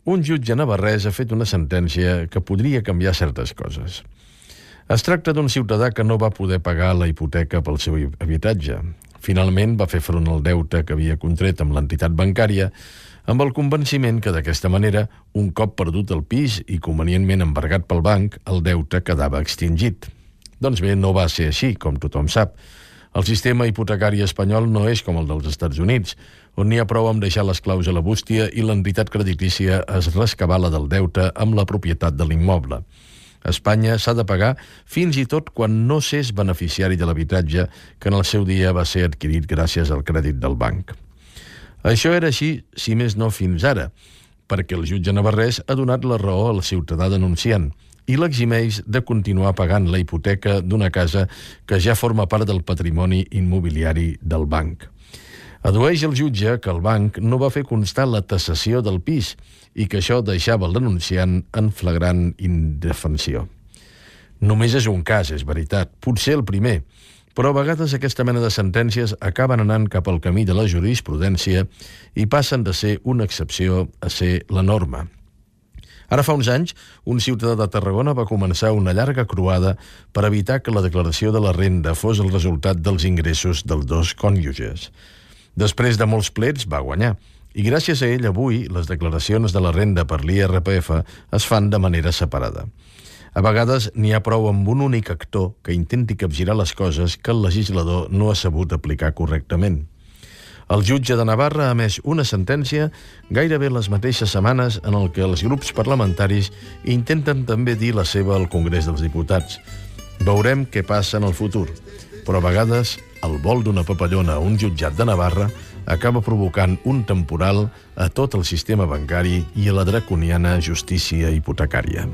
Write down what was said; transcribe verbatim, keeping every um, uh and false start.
un jutge navarrès ha fet una sentència que podria canviar certes coses. Es tracta d'un ciutadà que no va poder pagar la hipoteca pel seu habitatge. Finalment va fer front al deute que havia contret amb l'entitat bancària amb el convenciment que d'aquesta manera, un cop perdut el pis i convenientment embargat pel banc, el deute quedava extingit. Doncs bé, no va ser així, com tothom sap. El sistema hipotecari espanyol no és com el dels Estats Units, on n'hi ha prou amb deixar les claus a la bústia i l'entitat creditícia es rescabala del deute amb la propietat de l'immoble. A Espanya s'ha de pagar fins i tot quan no s'és beneficiari de l'habitatge que en el seu dia va ser adquirit gràcies al crèdit del banc. Això era així, si més no fins ara, perquè el jutge navarrès ha donat la raó al ciutadà denunciant i l'eximeix de continuar pagant la hipoteca d'una casa que ja forma part del patrimoni immobiliari del banc. Addueix el jutge que el banc no va fer constar la tasació del pis i que això deixava el denunciant en flagrant indefensió. Només és un cas, és veritat, potser el primer, però a vegades aquesta mena de sentències acaben anant cap al camí de la jurisprudència i passen de ser una excepció a ser la norma. Ara fa uns anys, un ciutadà de Tarragona va començar una llarga croada per evitar que la declaració de la renda fos el resultat dels ingressos dels dos cònjuges. Després de molts plets va guanyar, i gràcies a ell avui les declaracions de la renda per l'I R P F es fan de manera separada. A vegades n'hi ha prou amb un únic actor que intenti capgirar les coses que el legislador no ha sabut aplicar correctament. El jutge de Navarra ha emès una sentència gairebé les mateixes setmanes en el que els grups parlamentaris intenten també dir la seva al Congrés dels Diputats. Veurem què passa en el futur, però a vegades el vol d'una papallona a un jutjat de Navarra acaba provocant un temporal a tot el sistema bancari i a la draconiana justícia hipotecària.